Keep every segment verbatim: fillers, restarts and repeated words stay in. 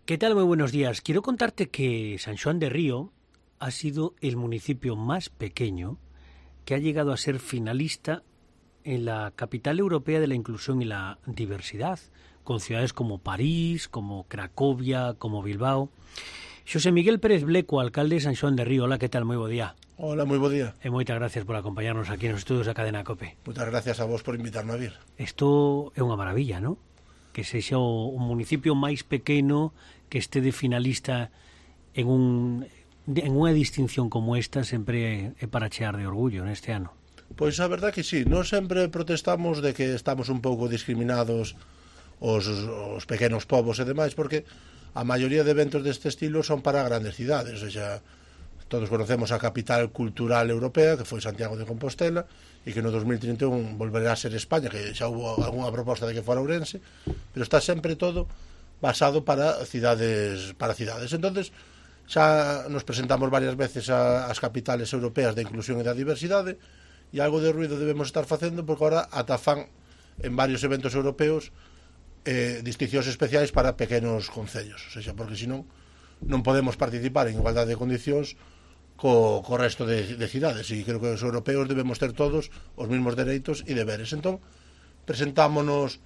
¿Qué tal? Muy buenos días. Quiero contarte que San Xoán de Río ha sido el municipio más pequeño que ha llegado a ser finalista en la capital europea de la inclusión y la diversidad, con ciudades como París, como Cracovia, como Bilbao. Xosé Miguel Pérez Bleco, alcalde de San Xoán de Río. Hola, ¿qué tal? Moi bo día. Hola, moi bo día. E moitas gracias por acompañarnos aquí nos estudios da Cadena COPE. Moitas gracias a vos por invitarme a vir. Isto é unha maravilla, non? Que sexa o municipio máis pequeno que este de finalista en un en unha distinción como esta sempre é para chear de orgullo neste ano. Pois a verdad que sí, non sempre protestamos de que estamos un pouco discriminados os, os pequenos povos e demais, porque a maioría de eventos deste estilo son para grandes cidades, ou sea, todos conocemos a capital cultural europea, que foi Santiago de Compostela, e que no dos mil trinta e un volverá a ser España, que xa hubo algunha proposta de que fora Ourense, pero está sempre todo basado para cidades, para cidades. Entonces, xa nos presentamos varias veces a, as capitales europeas de inclusión e da diversidade, e algo de ruido debemos estar facendo, porque agora ata fan en varios eventos europeos eh, distincións especiais para pequenos concellos, ou seja, porque senón non podemos participar en igualdade de condicións co, co resto de, de cidades, e creo que os europeos debemos ter todos os mesmos dereitos e deberes. Entón, presentámonos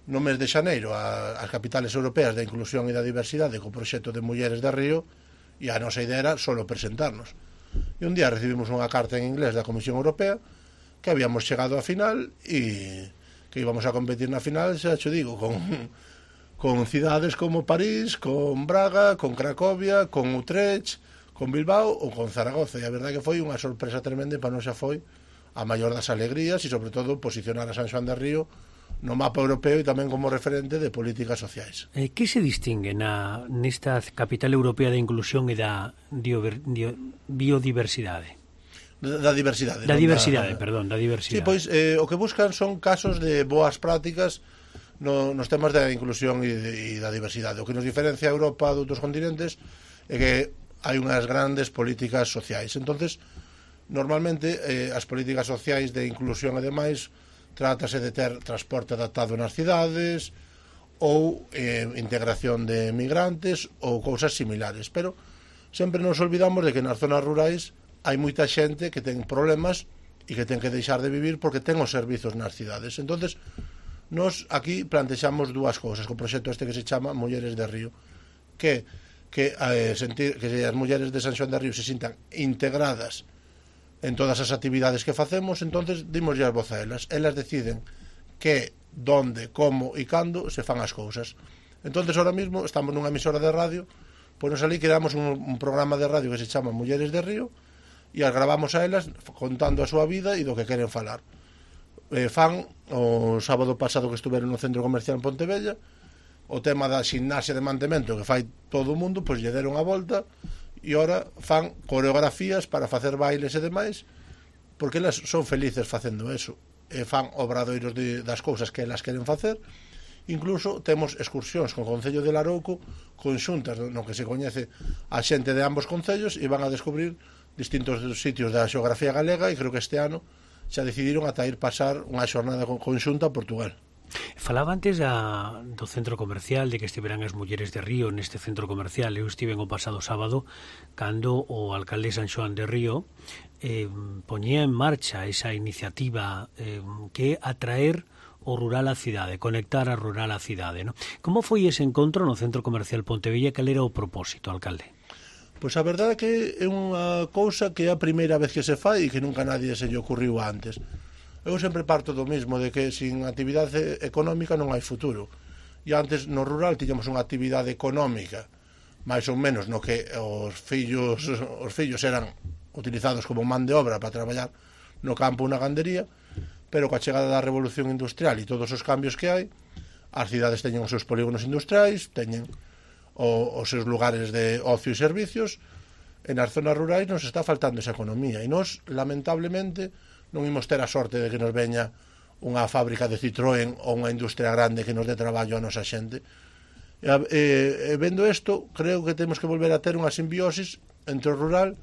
no mes de xaneiro ás capitales europeas da inclusión e da diversidade co proxecto de Mulleres de Río, e a nosa idea era solo presentarnos. E un día recibimos unha carta en inglés da Comisión Europea que habíamos chegado á final e que íbamos a competir na final, xa xo digo, con, con cidades como París, con Braga, con Cracovia, con Utrecht, con Bilbao ou con Zaragoza. E a verdade que foi unha sorpresa tremenda, e para nós xa foi a maior das alegrías, e sobre todo posicionar a San Xoán de Río no mapa europeo e tamén como referente de políticas sociais. Eh, que se distingue na, nesta capital europea da inclusión e da dio, dio, biodiversidade? Da, da diversidade. Da diversidade, da, perdón, da diversidade. Sí, pois eh, o que buscan son casos de boas prácticas no, nos temas da inclusión e, de, e da diversidade. O que nos diferencia a Europa de outros continentes é que hai unhas grandes políticas sociais. Entonces, normalmente, eh, as políticas sociais de inclusión e demais trátase de ter transporte adaptado nas cidades ou eh, integración de migrantes ou cousas similares, pero sempre nos olvidamos de que nas zonas rurais hai moita xente que ten problemas e que ten que deixar de vivir porque ten os servizos nas cidades. Entonces, nos aquí plantexamos dúas cousas co proxecto este que se chama Mulleres de Río, que que, eh, sentir, que as mulleres de San Xoán de Río se sintan integradas en todas as actividades que facemos. Entonces dimos as voz a elas, elas deciden que, donde, como e cando se fan as cousas. Entonces ahora mismo estamos nunha emisora de radio, pois nos ali creamos un, un programa de radio que se chama Mulleres de Río, e as gravamos a elas contando a súa vida e do que queren falar. Eh, fan, o sábado pasado que estuveron no centro comercial en Pontevella, o tema da ximnasia de mantemento que fai todo o mundo, pois lle deron a volta, e ora fan coreografías para facer bailes e demais, porque elas son felices facendo eso, e fan obradoiros de, das cousas que elas queren facer. Incluso temos excursións con o Concello de Larouco conxuntas no que se coñece a xente de ambos concellos, e van a descubrir distintos sitios da xeografía galega, e creo que este ano xa decidiron ata ir pasar unha xornada conxunta a Portugal. Falaba antes da, do centro comercial, de que estiveran as mulleres de Río neste centro comercial. Eu estive o pasado sábado cando o alcalde San Xoán de Río eh, poñía en marcha esa iniciativa eh, que é atraer o rural á cidade, conectar a rural á cidade, ¿no? Como foi ese encontro no centro comercial Pontevella? Cal era o propósito, alcalde? Pois a verdade é que é unha cousa que é a primeira vez que se fai e que nunca nadie se lle ocurriu antes. Eu sempre parto do mismo, de que sin actividade económica non hai futuro. E antes no rural tiñamos unha actividade económica, máis ou menos, no que os fillos os fillos eran utilizados como man de obra para traballar no campo ou na gandería, pero coa chegada da revolución industrial e todos os cambios que hai, as cidades teñen os seus polígonos industriais, teñen o, os seus lugares de ocio e servicios, e nas zonas rurais nos está faltando esa economía, e nos, lamentablemente, non imos ter a sorte de que nos veña unha fábrica de Citroën ou unha industria grande que nos dé traballo a nosa xente. E, e, e vendo isto, creo que temos que volver a ter unha simbiosis entre o rural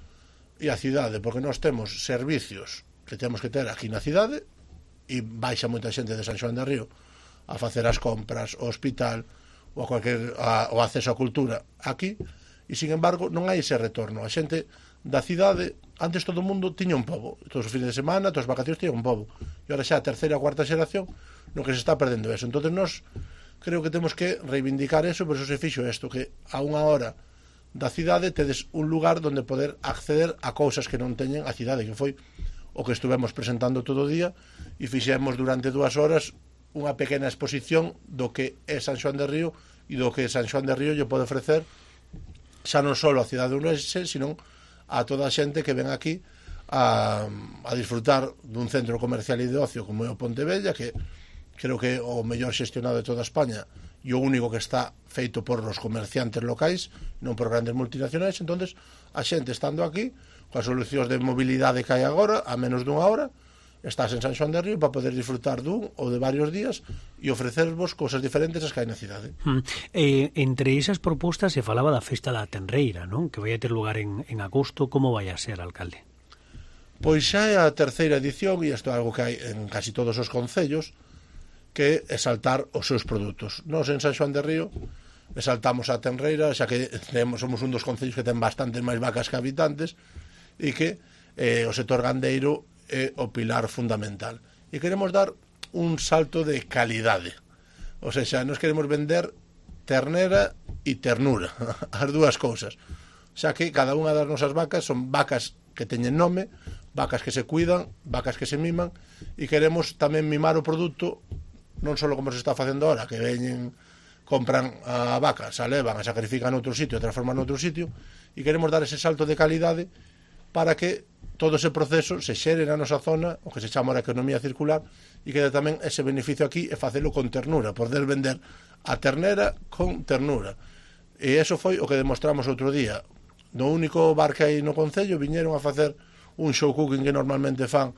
e a cidade, porque nós temos servicios que temos que ter aquí na cidade, e baixa moita xente de San Xoán de Río a facer as compras, o hospital, ou a cualquier a, o acceso á cultura aquí, e sin embargo non hai ese retorno. A xente da cidade, antes todo o mundo tiña un pobo, todos os fines de semana, todas as vacacións tiña un pobo, e agora xa a terceira ou cuarta xeración no que se está perdendo eso. Entonces nós creo que temos que reivindicar eso, por eso se fixo isto, que a unha hora da cidade tedes un lugar onde poder acceder a cousas que non teñen a cidade, que foi o que estuvemos presentando todo o día, e fixemos durante dúas horas unha pequena exposición do que é San Xoán de Río e do que San Xoán de Río lle pode ofrecer xa non só a cidade unense, sino a toda a xente que ven aquí a, a disfrutar dun centro comercial e de ocio como é o Pontevella, que creo que é o mellor xestionado de toda España e o único que está feito por os comerciantes locais, non por grandes multinacionais. Entonces a xente estando aquí, coas solucións de mobilidade que hai agora, a menos dunha hora, estás en San Xoán de Río para poder disfrutar dun ou de varios días e ofrecervos cousas diferentes as que hai na cidade. Mm. Eh, entre esas propostas se falaba da Festa da Tenreira, non? Que vai a ter lugar en, en agosto. Como vai a ser, alcalde? Pois xa é a terceira edición, e isto é algo que hai en casi todos os concellos, que é exaltar os seus produtos. Nós en San Xoán de Río exaltamos a Tenreira, xa que temos, somos un dos concellos que ten bastantes máis vacas que habitantes, e que eh, o sector gandeiro é o pilar fundamental. E queremos dar un salto de calidade. O sea, nos queremos vender ternera e ternura, as dúas cousas. Xa que cada unha das nosas vacas son vacas que teñen nome, vacas que se cuidan, vacas que se miman, e queremos tamén mimar o produto, non só como se está facendo ahora, que veñen, compran a vaca, se a levan, a sacrifican noutro sitio, a transforman noutro sitio, e queremos dar ese salto de calidade para que todo ese proceso se xere na nosa zona, o que se chama a economía circular, e que dá tamén ese beneficio aquí e facelo con ternura, poder vender a ternera con ternura. E eso foi o que demostramos outro día. No único bar que hai no concello viñeron a facer un show cooking que normalmente fan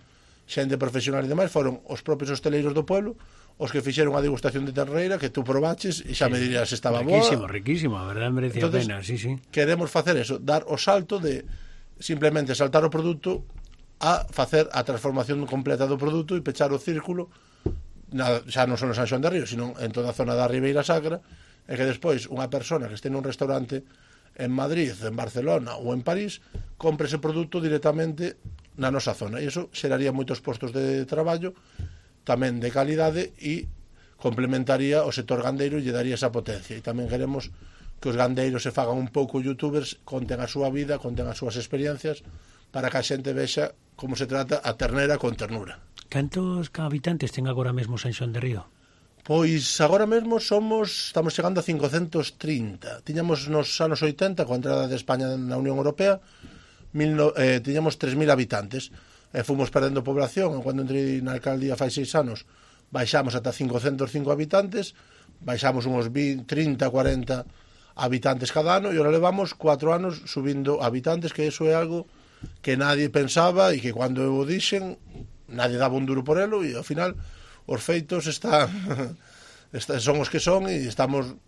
xente profesional e demais, foron os propios hosteleiros do pueblo os que fixeron a degustación de terneira, que tú probaches e xa sí, me dirías se estaba boa. Riquísimo, riquísimo, a verdade merecía a pena, sí, sí. Queremos facer eso, dar o salto de simplemente saltar o produto a facer a transformación completa do produto e pechar o círculo, na, xa non só en San Xoán de Río, sino en toda a zona da Ribeira Sacra, e que despois unha persona que este nun restaurante en Madrid, en Barcelona ou en París compre ese produto directamente na nosa zona, e iso xeraría moitos postos de traballo tamén de calidade e complementaría o sector gandeiro e lle daría esa potencia. E tamén queremos que os gandeiros se fagan un pouco youtubers, conten a súa vida, conten as súas experiencias, para que a xente vexa como se trata a ternera con ternura. Cantos habitantes ten agora mesmo San Xoán de Río? Pois agora mesmo somos, estamos chegando a cincocentos trinta. Tiñamos nos anos oitenta, coa entrada de España na Unión Europea, mil, eh, tiñamos tres mil habitantes. E fomos perdendo población, e cando entrei na alcaldía fai seis anos baixamos ata cincocentos cinco habitantes, baixamos uns vinte, trinta, cuarenta habitantes cada ano, e ahora levamos cuatro anos subindo habitantes, que eso é algo que nadie pensaba, e que cando o dixen nadie daba un duro por elo, e ao final os feitos están son os que son, e estamos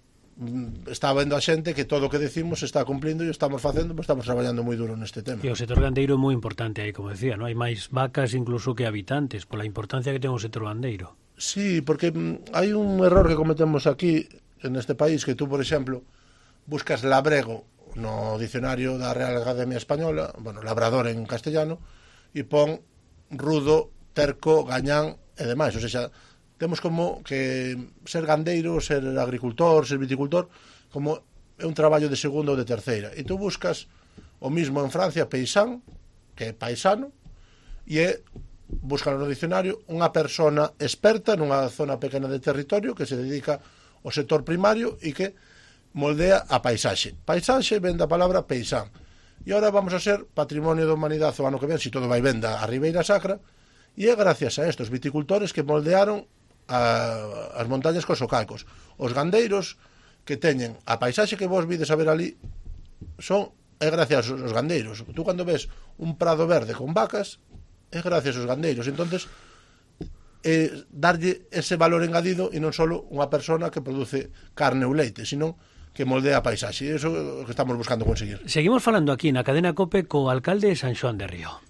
está vendo a xente que todo o que decimos se está cumplindo e estamos facendo, pues estamos traballando moi duro neste tema. E o sector gandeiro é moi importante aí, como decía, non? Hai máis vacas incluso que habitantes, pola importancia que ten o sector gandeiro. Sí, porque hai un error que cometemos aquí en este país, que tú, por exemplo, buscas labrego no dicionario da Real Academia Española, bueno, labrador en castellano, e pon rudo, terco, gañán e demais, o sea, temos como que ser gandeiro, ser agricultor, ser viticultor, como é un traballo de segunda ou de terceira. E tú buscas o mismo en Francia, paisán, que é paisano, e é, buscan no diccionario, unha persona experta nunha zona pequena de territorio que se dedica ao sector primario e que moldea a paisaxe. Paisaxe ven da palabra paisán. E agora vamos a ser patrimonio da humanidade o ano que ven, se todo vai ben da Ribeira Sacra, e é gracias a estos viticultores que moldearon a, as montañas cos socalcos. Os gandeiros que teñen a paisaxe que vos vides a ver ali son é gracias aos gandeiros. Tú cando ves un prado verde con vacas é gracias aos gandeiros. Entonces eh, darlle ese valor engadido e non só unha persona que produce carne ou leite, sino que moldea a paisaxe. E iso é o que estamos buscando conseguir. Seguimos falando aquí na cadena COPE co alcalde de San Xoán de Río.